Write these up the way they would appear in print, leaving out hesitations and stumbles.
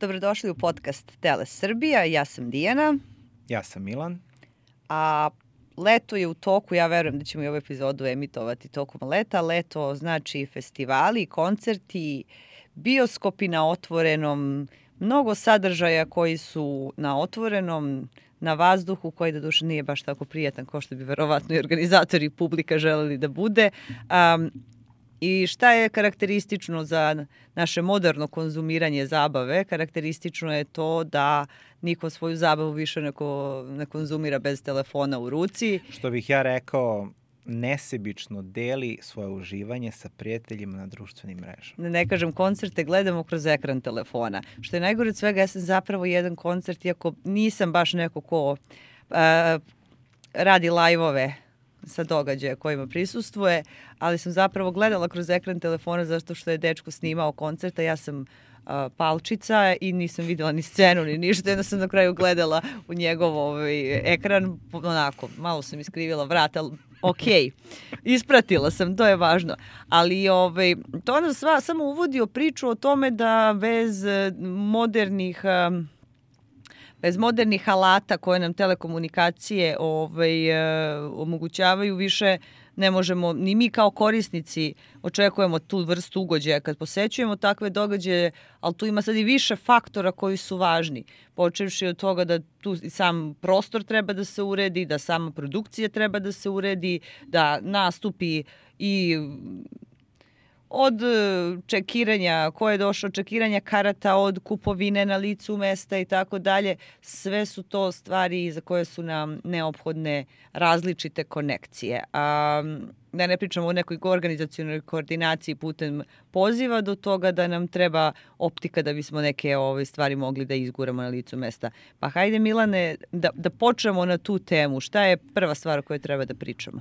Dobrodošli u podcast Tele Srbija. Ja sam Dijana. Ja sam Milan. A leto je u toku, ja verujem da ćemo i ovu epizodu emitovati tokom leta. Leto znači festivali, koncerti, bioskopi na otvorenom, mnogo sadržaja koji su na otvorenom, na vazduhu, koji doduše nije baš tako prijatan kao što bi verovatno i organizatori i publika želeli da bude. I šta je karakteristično za naše moderno konzumiranje zabave? Karakteristično je to da niko svoju zabavu više ne konzumira bez telefona u ruci. Što bih ja rekao, nesebično deli svoje uživanje sa prijateljima na društvenim mrežama. Ne kažem koncerte, gledamo kroz ekran telefona. Što je najgore od svega, ja sam zapravo jedan koncert, iako nisam baš neko ko radi live-ove sa događaja kojima prisustvuje, ali sam zapravo gledala kroz ekran telefona zato što je dečko snimao koncerta. Ja sam palčica i nisam videla ni scenu ni ništa, jedno sam na kraju gledala u njegov ekran, onako, malo sam iskrivila vrat, ali okej, ispratila sam, to je važno. Ali to nas samo uvodio priču o tome da bez modernih alata koje nam telekomunikacije omogućavaju, više ne možemo, ni mi kao korisnici očekujemo tu vrstu ugođaja kad posećujemo takve događaje, ali tu ima sad i više faktora koji su važni. Počevši od toga da tu sam prostor treba da se uredi, da sama produkcija treba da se uredi, da nastupi i od čekiranja, ko je došao, čekiranja karata, od kupovine na licu mesta i tako dalje. Sve su to stvari za koje su nam neophodne različite konekcije. Da ne pričamo o nekoj organizacionoj koordinaciji putem poziva do toga da nam treba optika da bismo neke stvari mogli da izguramo na licu mesta. Pa hajde, Milane, da počnemo na tu temu. Šta je prva stvar o kojoj treba da pričamo?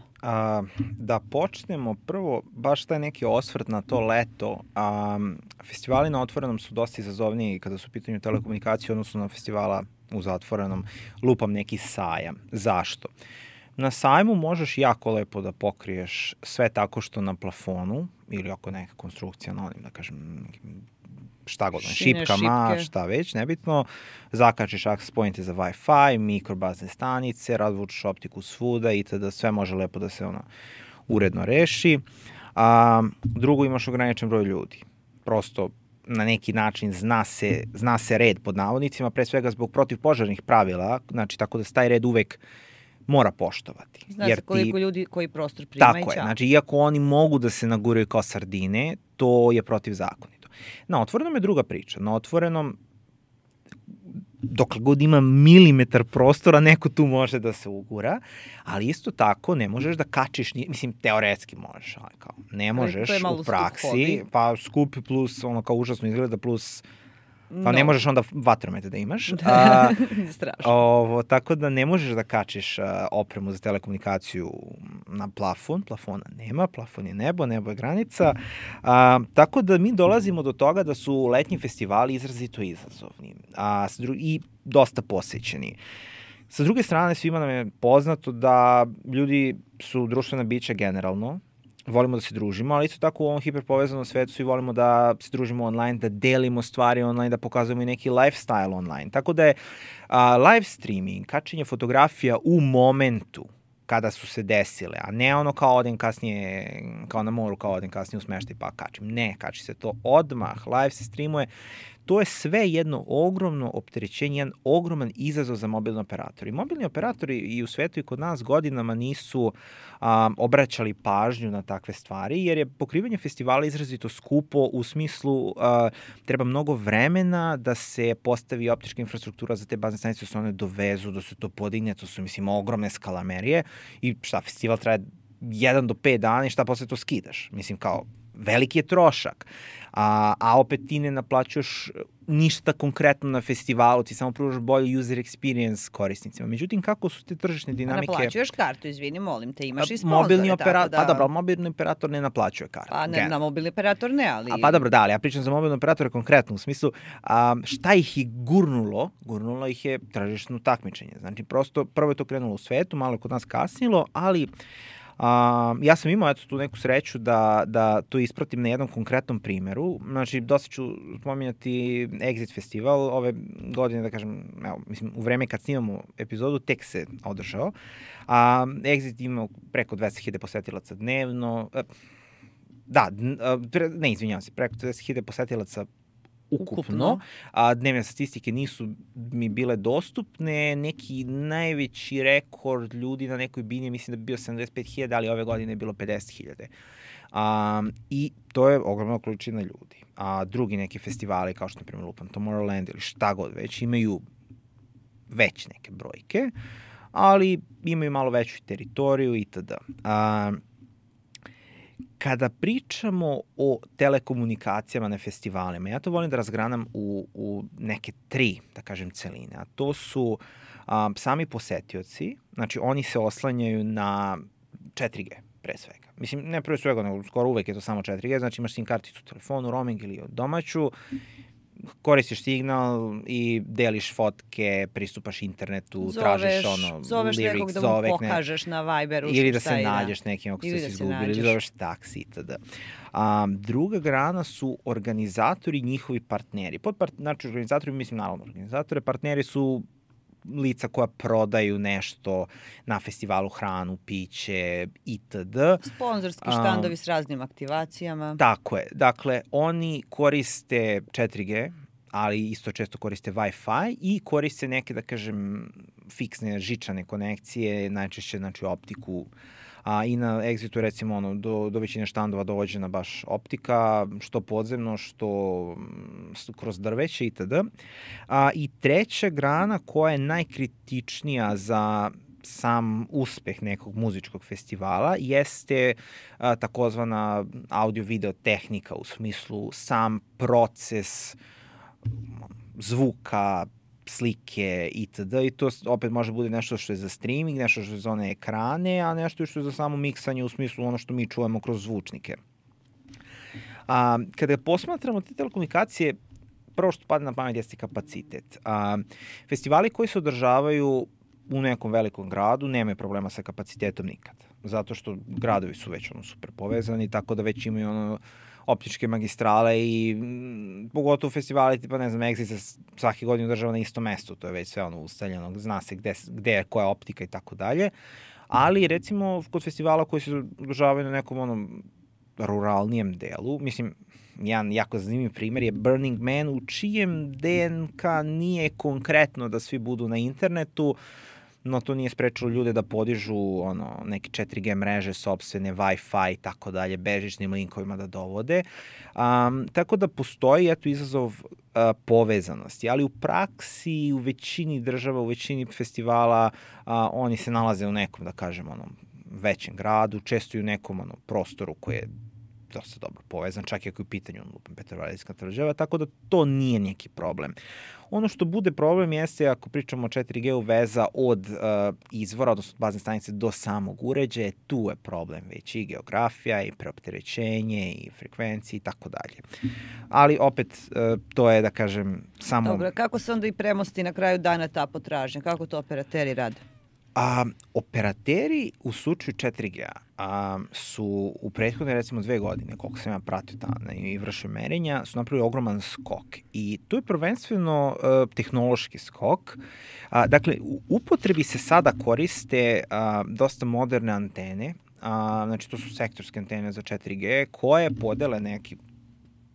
Da počnemo prvo, baš taj neki osvrt na to leto. Festivali na otvorenom su dosta izazovniji kada su u pitanju telekomunikacije, odnosno na festivala u zatvorenom. Lupam neki sajam. Zašto? Na sajmu možeš jako lepo da pokriješ sve tako što na plafonu ili ako neka konstrukcija na onim, da kažem, šta god, šipkama, šta već, nebitno, zakačiš access pointe za Wi-Fi, mikrobazne stanice, razvučeš optiku svuda i tada sve može lepo da se uredno reši. Drugo, imaš ograničen broj ljudi. Prosto na neki način zna se red pod navodnicima, pre svega zbog protivpožarnih pravila, znači tako da se taj red uvek mora poštovati. Zna se koliko ljudi koji prostor primaju. Tako je, znači iako oni mogu da se naguraju kao sardine, to je protivzakonito. Na otvorenom je druga priča. Na otvorenom, dokle god ima milimetar prostora, neko tu može da se ugura, ali isto tako ne možeš da kačiš, mislim, teoretski možeš, ali kao, ne možeš u praksi, pa skupi plus, kao užasno izgleda, plus pa ne možeš onda vatromet da imaš. Strašno. Tako da ne možeš da kačiš opremu za telekomunikaciju na plafon. Plafona nema, plafon je nebo, nebo je granica. Tako da mi dolazimo do toga da su letnji festivali izrazito izazovni i dosta posećeni. Sa druge strane, svima nam je poznato da ljudi su društvena bića generalno, volimo da se družimo, ali isto tako u ovom hiperpovezanom svetu svi volimo da se družimo online, da delimo stvari online, da pokazujemo i neki lifestyle online. Tako da je live streaming, kačenje fotografija u momentu kada su se desile, a ne kao odem kasnije, kao na moru, kao odem kasnije u smeštaj pa kačim. Ne, kači se to odmah, live se streamuje. To je sve jedno ogromno opterećenje, jedan ogroman izazov za mobilni operatori. Mobilni operatori i u svetu i kod nas godinama nisu obraćali pažnju na takve stvari, jer je pokrivanje festivala izrazito skupo u smislu treba mnogo vremena da se postavi optička infrastruktura za te bazne stanice, da se one dovezu, da se to podigne, to su, mislim, ogromne skalamerije i festival traje 1 do 5 dana i posle to skidaš. Mislim, kao, veliki je trošak, a opet ti ne naplaćuješ ništa konkretno na festivalu, ti samo pružaš bolji user experience korisnicima. Međutim, kako su te tržišne dinamike... Naplaćuješ kartu, izvini, molim te, imaš i sponzore. Pa dobro, mobilni operator ne naplaćuje kartu. Pa ne, na mobilni operator ne, ali... Pa dobro, da, ali ja pričam za mobilni operator konkretno, u smislu šta ih je gurnulo? Gurnulo ih je tržišno takmičenje. Znači, prosto, prvo je to krenulo u svetu, malo je kod nas kasnilo, ali Ja sam imao tu neku sreću da to ispratim na jednom konkretnom primeru. Znači, dosta ću spominjati Exit festival. Ove godine, da kažem, mislim, u vreme kad snimamo epizodu, tek se održao. Exit ima preko 200.000 posetilaca dnevno. Izvinjavam se, preko 200.000 posetilaca ukupno. Dnevne statistike nisu mi bile dostupne. Neki najveći rekord ljudi na nekoj bini, mislim da bi bio 75.000, ali ove godine je bilo 50.000. I to je ogromna količina ljudi. Drugi neki festivali, kao što na primjer Lupan Tomorrowland ili šta god već, imaju već neke brojke, ali imaju malo veću teritoriju itd. Kada pričamo o telekomunikacijama na festivalima, ja to volim da razgranam u neke 3, da kažem, celine. A to su sami posetioci, znači oni se oslanjaju na 4G, pre svega. Mislim, ne pre svega, nego skoro uvek je to samo 4G, znači imaš SIM karticu u telefonu, roaming ili domaću, koristiš signal i deliš fotke, pristupaš internetu, tražiš zoveš lyrics, nekog da mu pokažeš na Viberu ili da se nađeš nekim ako ste se izgubili, ili zoveš taksi itd. Druga grana su organizatori i njihovi partneri. Znači, organizatori, mislim naravno organizatore, partneri su lica koja prodaju nešto na festivalu, hranu, piće, itd. Sponzorski štandovi s raznim aktivacijama. Tako je. Dakle, oni koriste 4G, ali isto često koriste Wi-Fi i koriste neke, da kažem, fiksne žičane konekcije, najčešće, znači, optiku. I na Exitu, recimo, do većine štandova dovođena baš optika, što podzemno, što kroz drveće itd. I treća grana koja je najkritičnija za sam uspeh nekog muzičkog festivala jeste takozvana audio-video tehnika, u smislu sam proces zvuka, slike itd. I to opet može bude nešto što je za streaming, nešto što je za one ekrane, a nešto što je za samo miksanje u smislu ono što mi čujemo kroz zvučnike. Kada posmatramo te telekomunikacije, prvo što pada na pamet jeste kapacitet. Festivali koji se održavaju u nekom velikom gradu nemaju problema sa kapacitetom nikad. Zato što gradovi su već super povezani, tako da već imaju optičke magistrale i pogotovo festivali tipa, ne znam, Exit se svake godine održava na istom mestu, to je već sve ustaljeno, zna se gde je koja optika i tako dalje. Ali recimo kod festivala koji se održavaju na nekom ruralnijem delu, mislim, jedan jako zanimljiv primer je Burning Man, u čijem DNK nije konkretno da svi budu na internetu, no to nije sprečilo ljude da podižu neke 4G mreže, sopstvene, Wi-Fi i tako dalje, bežičnim linkovima da dovode. Tako da postoji izazov povezanosti, ali u praksi, u većini država, u većini festivala, oni se nalaze u nekom, da kažem, većem gradu, često i u nekom prostoru koji je dosta dobro povezan, čak i ako je u pitanju Petrovaradinska tvrđava, tako da to nije neki problem. Ono što bude problem jeste ako pričamo o 4G-u veza od izvora, odnosno bazne stanice do samog uređaja, tu je problem već i geografija i preopterećenje i frekvencije i tako dalje. Ali opet to je, da kažem, samo... Dobro, kako se onda i premosti na kraju dana ta potražnja? Kako to operateri rade? Operateri u slučaju 4G-a su u prethodne, recimo, 2 godine, koliko sam ja pratio i vršio merenja, su napravili ogroman skok. I to je prvenstveno tehnološki skok. Dakle, u upotrebi se sada koriste dosta moderne antene, znači to su sektorske antene za 4G, koje podele neki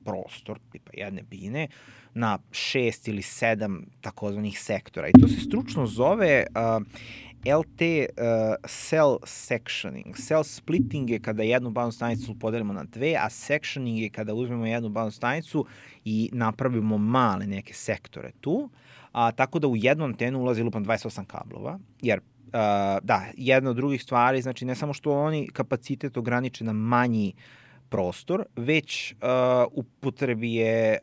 prostor, tipa jedne bine, na 6 ili 7 takozvanih sektora. I to se stručno zove LT cell sectioning. Cell splitting je kada jednu baznu stanicu podelimo na 2, a sectioning je kada uzmemo jednu baznu stanicu i napravimo male neke sektore tu. Tako da u jednu antenu ulazi lupan 28 kablova, jer jedna od drugih stvari, znači ne samo što oni kapacitet ograniče na manji prostor, već upotrebi je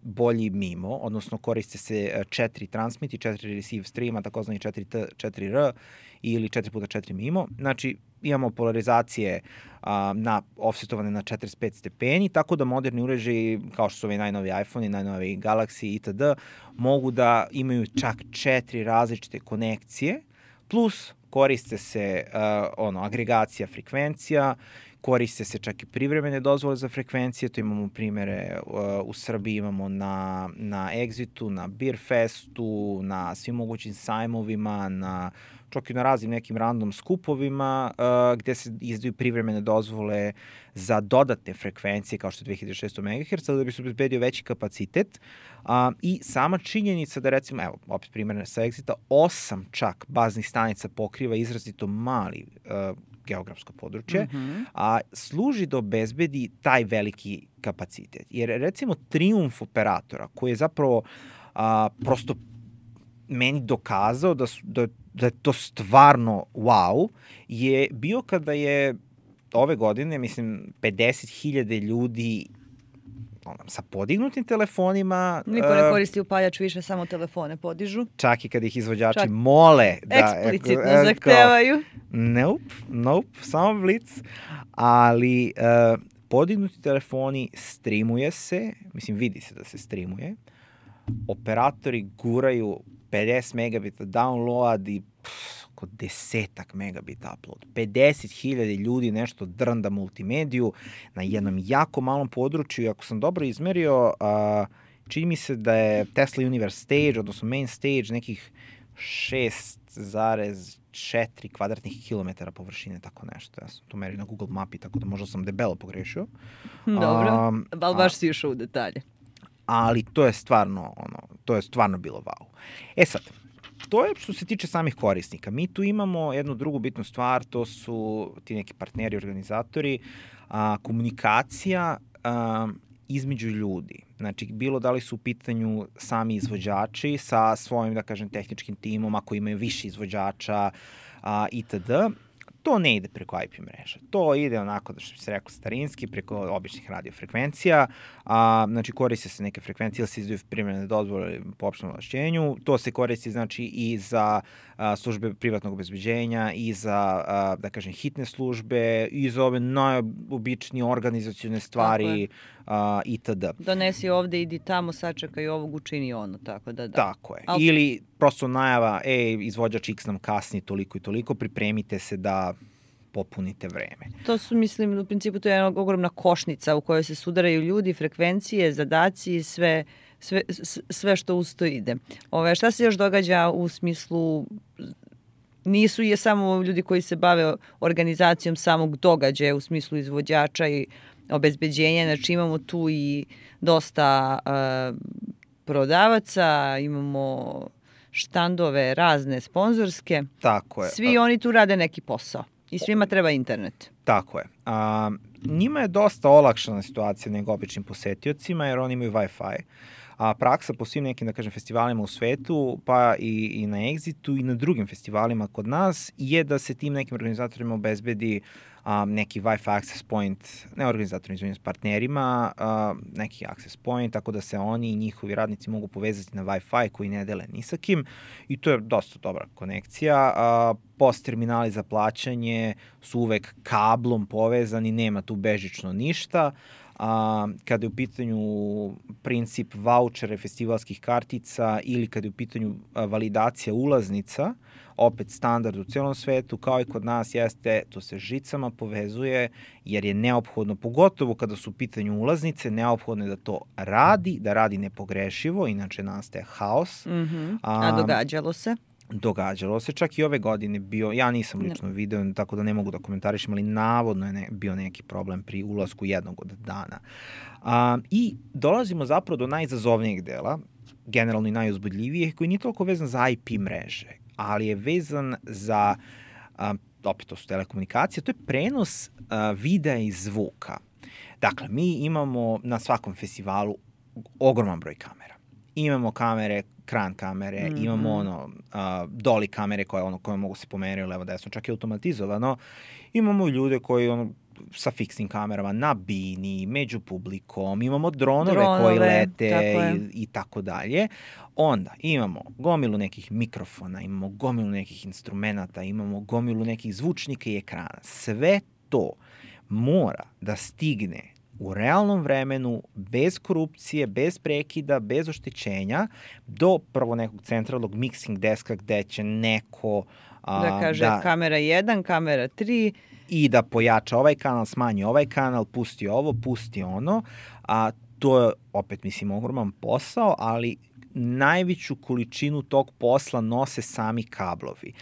bolji MIMO, odnosno koriste se 4 transmit i 4 receive streama, takozvani 4T, 4R ili 4x4 MIMO. Znači, imamo polarizacije offsetovane na 45 stepeni, tako da moderni uređaji, kao što su ovi najnovi iPhone i najnovi Galaxy itd., mogu da imaju čak 4 različite konekcije, plus koriste se agregacija frekvencija, koriste se čak i privremene dozvole za frekvencije, to imamo primere u Srbiji, imamo na Exitu, na Beerfestu, na svim mogućim sajmovima, čak i na raznim nekim random skupovima gde se izdaju privremene dozvole za dodatne frekvencije kao što je 2600 MHz, da bi se obezbedio veći kapacitet. I sama činjenica da recimo, evo, opet primjer sa Exita, 8 čak baznih stanica pokriva izrazito mali geografsko područje, a služi da obezbedi taj veliki kapacitet. Jer recimo trijumf operatora koji je zapravo prosto meni dokazao da je to stvarno wow, je bio kada je ove godine, mislim, 50.000 ljudi sa podignutim telefonima. Niko ne koristi upaljač više, samo telefone podižu. Čak i kada ih izvođači mole. Eksplicitno zahtevaju. Nope, samo blic. Ali podignuti telefoni, streamuje se, mislim, vidi se da se streamuje. Operatori guraju 50 megabita download i oko 10 megabita upload. 50.000 ljudi nešto drnda multimediju na jednom jako malom području. Ako sam dobro izmerio, čini mi se da je Tesla Universe Stage, odnosno Main Stage, nekih 6,4 kvadratnih kilometara površine, tako nešto. Ja sam to merio na Google mapi, tako da možda sam debelo pogrešio. Dobro, ali baš si išao u detalje. Ali to je stvarno bilo wow. Sad, to je što se tiče samih korisnika. Mi tu imamo jednu drugu bitnu stvar, to su ti neki partneri, organizatori, komunikacija između ljudi. Znači, bilo da li su u pitanju sami izvođači sa svojim, da kažem, tehničkim timom, ako imaju više izvođača itd. To ne ide preko IP mreža. To ide onako, da što bi se rekao, starinski, preko običnih radiofrekvencija. Znači, koriste se neke frekvencije, ili se izdaju privremene dozvole po opštem ovlašćenju. To se koristi, znači, i za službe privatnog obezbeđenja, i za, da kažem, hitne službe, i za ove najobičnije organizacione stvari, itd. Donesi ovde, idi tamo, sačekaj ovog, učini ono, tako da. Tako je. Ili prosto najava, izvođač X nam kasni toliko i toliko, pripremite se da popunite vreme. To su, mislim, u principu to je jedna ogromna košnica u kojoj se sudaraju ljudi, frekvencije, zadaci i sve što uz to ide. Šta se još događa u smislu, nisu je samo ljudi koji se bave organizacijom samog događaja u smislu izvođača i obezbeđenja, znači imamo tu i dosta prodavaca, imamo štandove razne sponzorske. Tako je. Svi oni tu rade neki posao i svima treba internet. Tako je. Njima je dosta olakšana situacija nego običnim posetiocima jer oni imaju Wi-Fi. Praksa po svim nekim, da kažem, festivalima u svetu, pa i na Exitu i na drugim festivalima kod nas, je da se tim nekim organizatorima obezbedi neki Wi-Fi access point, ne organizatorima, izvinjam, s partnerima, neki access point, tako da se oni i njihovi radnici mogu povezati na Wi-Fi koji ne dele ni sa kim i to je dosta dobra konekcija. Post terminali za plaćanje su uvek kablom povezani, nema tu bežično ništa. Kada je u pitanju princip vouchere festivalskih kartica ili kada je u pitanju validacija ulaznica, opet standard u celom svetu, kao i kod nas jeste, to se žicama povezuje jer je neophodno, pogotovo kada su u pitanju ulaznice, neophodno je da to radi, da radi nepogrešivo, inače nastaje haos. A događalo se? Događalo se, čak i ove godine bio, ja nisam lično video, tako da ne mogu da komentarišem, ali navodno je bio neki problem pri ulasku jednog od dana. I dolazimo zapravo do najizazovnijeg dela, generalno i najuzbudljivijeg, koji nije toliko vezan za IP mreže, ali je vezan za, opet to su telekomunikacije, to je prenos videa i zvuka. Dakle, mi imamo na svakom festivalu ogroman broj kamera. Imamo kamere, kran kamere, imamo doli kamere koje mogu se pomeriti levo desno, čak i automatizovano. Imamo ljude koji sa fiksnim kamerama na bini, među publikom, imamo dronove koji lete i tako dalje. Onda imamo gomilu nekih mikrofona, imamo gomilu nekih instrumenata, imamo gomilu nekih zvučnika i ekrana. Sve to mora da stigne u realnom vremenu, bez korupcije, bez prekida, bez oštećenja, do prvo nekog centralnog mixing deska gde će neko Da kaže kamera 1, kamera 3. I da pojača ovaj kanal, smanji ovaj kanal, pusti ovo, pusti ono. A to je, opet mislim, ogroman posao, ali najveću količinu tog posla nose sami kablovi.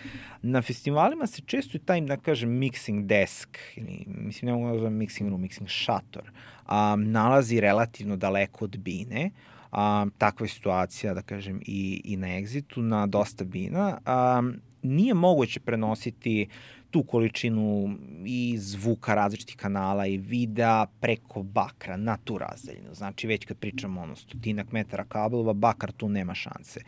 Na festivalima se često i taj, da kažem, mixing desk, ili, mislim, ne mogu da zovem mixing room, mixing šator, nalazi relativno daleko od bine. Takva je situacija, da kažem, i na Exitu, na dosta bina. Nije moguće prenositi tu količinu i zvuka različitih kanala i videa preko bakra na tu razdaljinu. Znači, već kad pričamo 100 metara kablova, bakar tu nema šanse.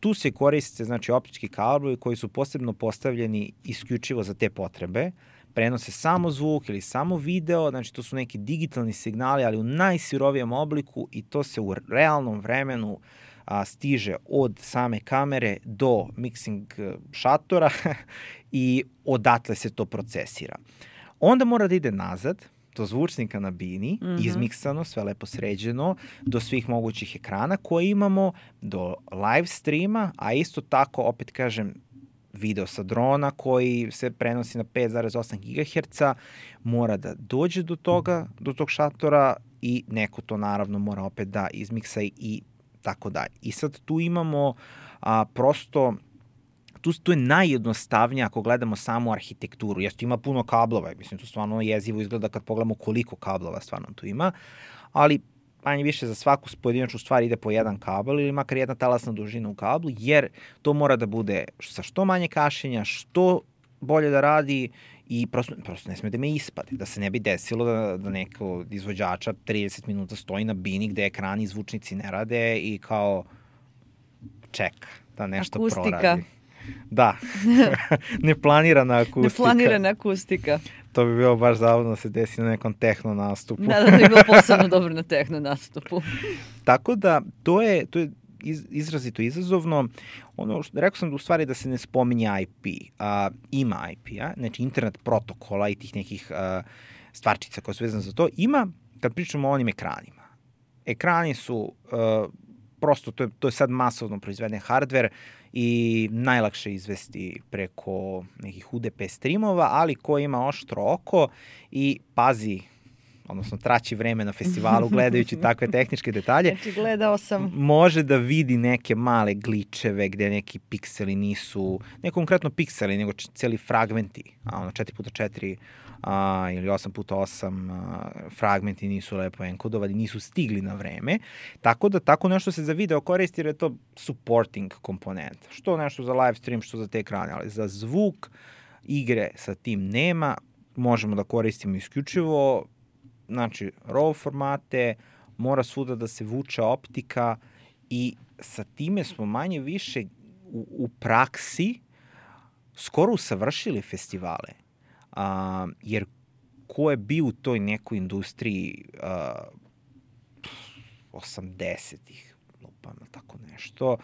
Tu se koriste, znači, optički kablovi koji su posebno postavljeni isključivo za te potrebe, prenose samo zvuk ili samo video, znači to su neki digitalni signali, ali u najsirovijem obliku i to se u realnom vremenu stiže od same kamere do mixing šatora i odatle se to procesira. Onda mora da ide nazad, do zvučnika na bini, izmiksano, sve lepo sređeno, do svih mogućih ekrana koje imamo, do live streama, a isto tako, opet kažem, video sa drona koji se prenosi na 5,8 GHz, mora da dođe do toga, do tog šatora i neko to naravno mora opet da izmiksa i tako dalje. I sad tu imamo prosto, tu je najjednostavnije ako gledamo samu arhitekturu. Jesu, ima puno kablova, mislim, to stvarno jezivo izgleda kad pogledamo koliko kablova stvarno tu ima, ali manje više za svaku pojedinačnu stvar ide po jedan kabel ili makar jedna talasna dužina u kablu, jer to mora da bude sa što manje kašenja, što bolje da radi i prosto ne sme da me ispade, da se ne bi desilo da neko izvođača 30 minuta stoji na bini gde ekrani i zvučnici ne rade i kao čeka da nešto proradi. Da, neplanirana akustika. Neplanirana akustika. To bi bilo baš zavodno da se desi na nekom tehno nastupu. Da bi bilo posebno dobro na tehno nastupu. Tako da, to je izrazito izazovno. Rekao sam da u stvari da se ne spominje IP. Ima IP-a, znači internet protokola i tih nekih stvarčica koje su vezane za to. Ima, kad pričamo o onim ekranima. Ekrani su, prosto, to je sad masovno proizveden hardware i najlakše izvesti preko nekih UDP streamova, ali ko ima oštro oko i pazi, odnosno traći vreme na festivalu gledajući takve tehničke detalje. Znači, gledao sam. Može da vidi neke male gličeve gde neki pikseli nisu, ne konkretno pikseli, nego celi fragmenti, 4x4 ili 8x8 fragmenti nisu lepo enkodovani, nisu stigli na vreme. Tako da tako nešto se za video koristi jer je to supporting komponent. Što nešto za live stream, što za te ekrane, ali za zvuk igre sa tim nema, možemo da koristimo isključivo, znači RAW formate, mora svuda da se vuče optika i sa time smo manje više u praksi skoro usavršili festivale. Jer ko je bio u toj nekoj industriji 80-ih, lupam, tako nešto,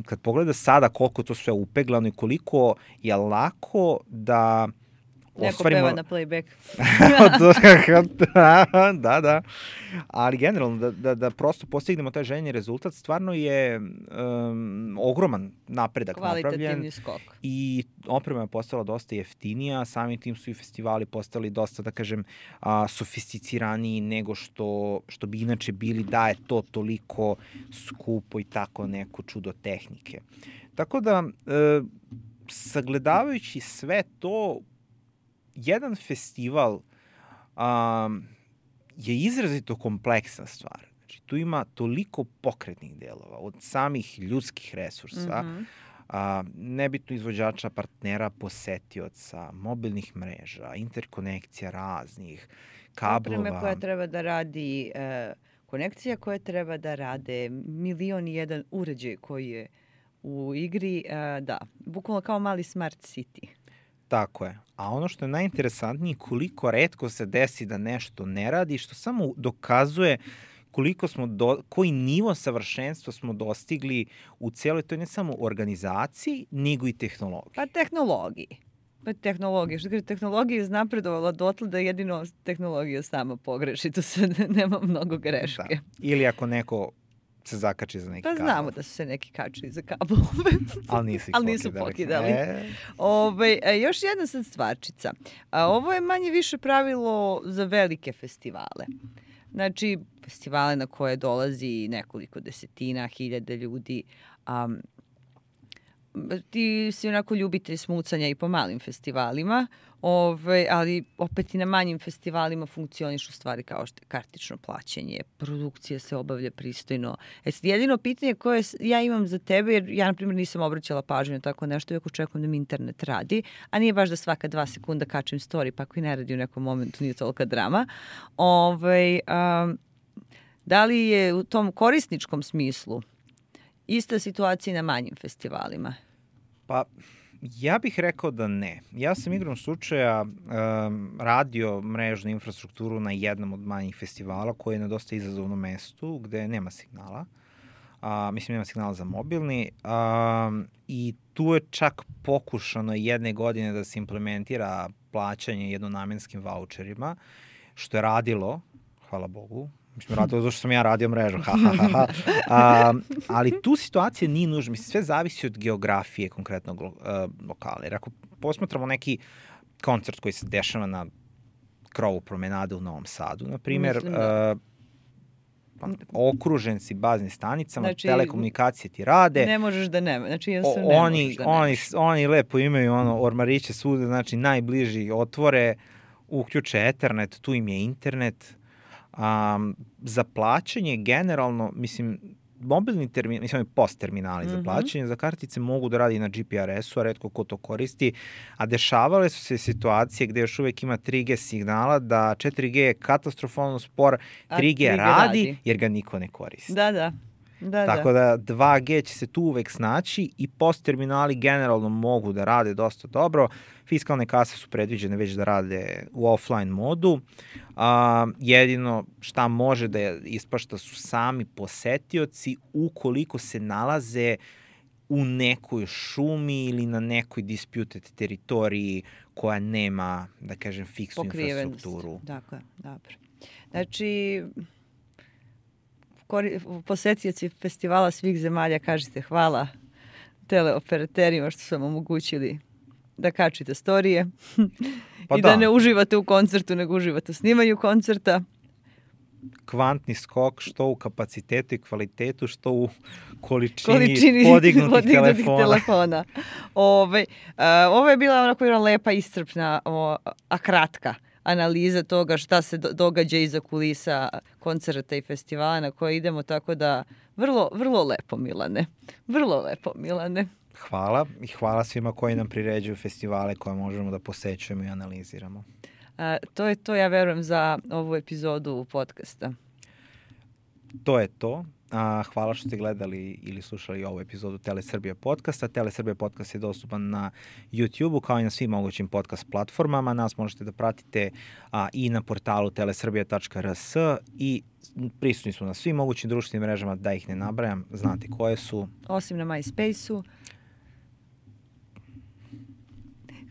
kad pogleda sada koliko to sve upeglano i koliko je lako da neko peva na playback. Da. Ali generalno, da prosto postignemo taj željeni rezultat, stvarno je ogroman napredak napravljen. Kvalitativni skok. I oprema je postala dosta jeftinija, samim tim su i festivali postali dosta, da kažem, sofisticiraniji nego što bi inače bili da je to toliko skupo i tako neko čudo tehnike. Tako da, sagledavajući sve to, jedan festival je izrazito kompleksna stvar. Znači, tu ima toliko pokretnih delova, od samih ljudskih resursa, nebitno izvođača, partnera, posetioca, mobilnih mreža, interkonekcija raznih, kablova. Opreme koja treba da radi, konekcija koja treba da rade, 1.000.001 uređaj koji je u igri, da, bukvalno kao mali smart city. Tako je. A ono što je najinteresantnije, koliko retko se desi da nešto ne radi, što samo dokazuje koliko smo koji nivo savršenstva smo dostigli u cijeloj toj ne samo organizaciji, nego i tehnologiji. Pa tehnologiji. Što kaže, tehnologija je znapredovala dotle da jedino tehnologija sama pogreši. Tu sad nema mnogo greške. Da. Ili ako neko se zakači za neki kabel. Pa znamo da su se neki kačili za kablove. Ali nisu pokidali. Još jedna sad stvarčica. Ovo je manje više pravilo za velike festivale. Znači, festivale na koje dolazi nekoliko desetina, hiljada ljudi. Ti si onako ljubitelj smucanja i po malim festivalima, ali opet i na manjim festivalima funkcionišu stvari kao što je kartično plaćanje, produkcija se obavlja pristojno. Jedino pitanje koje ja imam za tebe, jer ja na primjer nisam obraćala pažnju na tako nešto, iako očekujem da mi internet radi, a nije baš da svaka 2 sekunda kačem story, pa ako i ne radi u nekom momentu nije tolika drama. Da li je u tom korisničkom smislu ista situacija na manjim festivalima? Pa, ja bih rekao da ne. Ja sam igrom slučaja radio mrežnu infrastrukturu na jednom od manjih festivala koji je na dosta izazovnom mestu gde nema signala. Nema signala za mobilni. I tu je čak pokušano jedne godine da se implementira plaćanje jednonamenskim vaučerima, što je radilo, hvala Bogu. Radilo zato što sam ja radio mrežu. Ali tu situacija nije nužna. Sve zavisi od geografije konkretnog lokala. Jer ako posmatramo neki koncert koji se dešava na krovu promenade u Novom Sadu, na primjer, okružen si baznim stanicama, znači, telekomunikacije ti rade. Ne možeš da nema. Znači, oni lepo imaju ormariće svuda, znači najbliži otvore, uključe Ethernet, tu im je internet. Za plaćanje generalno, mobilni terminali, post terminali za plaćanje, za kartice mogu da radi na GPRS-u, a retko ko to koristi, a dešavale su se situacije gde još uvek ima 3G signala, da 4G je katastrofalno spor, 3G radi jer ga niko ne koristi. Da. Tako da 2G će se tu uvek snaći i post terminali generalno mogu da rade dosta dobro. Fiskalne kase su predviđene već da rade u offline modu. Jedino šta može da ispašta su sami posetioci ukoliko se nalaze u nekoj šumi ili na nekoj disputed teritoriji koja nema, da kažem, fiksnu infrastrukturu. Dakle, dobro. Znači, posetioci festivala svih zemalja, kažete hvala teleoperaterima što su vam omogućili da kačite storije i da ne uživate u koncertu, nego uživate u snimanju koncerta. Kvantni skok što u kapacitetu i kvalitetu, što u količini podignutih telefona. Ovo je bila onako jedna lepa, iscrpna, a kratka analiza toga šta se događa iza kulisa koncerta i festivala na koje idemo, tako da vrlo lepo, Milane. Vrlo lepo, Milane. Hvala i hvala svima koji nam priređuju festivale koje možemo da posećujemo i analiziramo. To je to, ja verujem, za ovu epizodu podcasta. To je to. Hvala što ste gledali ili slušali ovu epizodu Telesrbija podcasta. Telesrbija podcast je dostupan na YouTube-u kao i na svim mogućim podcast platformama. Nas možete da pratite i na portalu telesrbija.rs i prisutni smo na svim mogućim društvenim mrežama, da ih ne nabrajam, znate koje su. Osim na MySpace-u.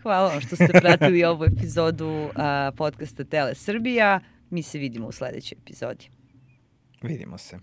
Hvala vam što ste pratili ovu epizodu podcasta Telesrbija. Mi se vidimo u sledećoj epizodi. Vidimo se.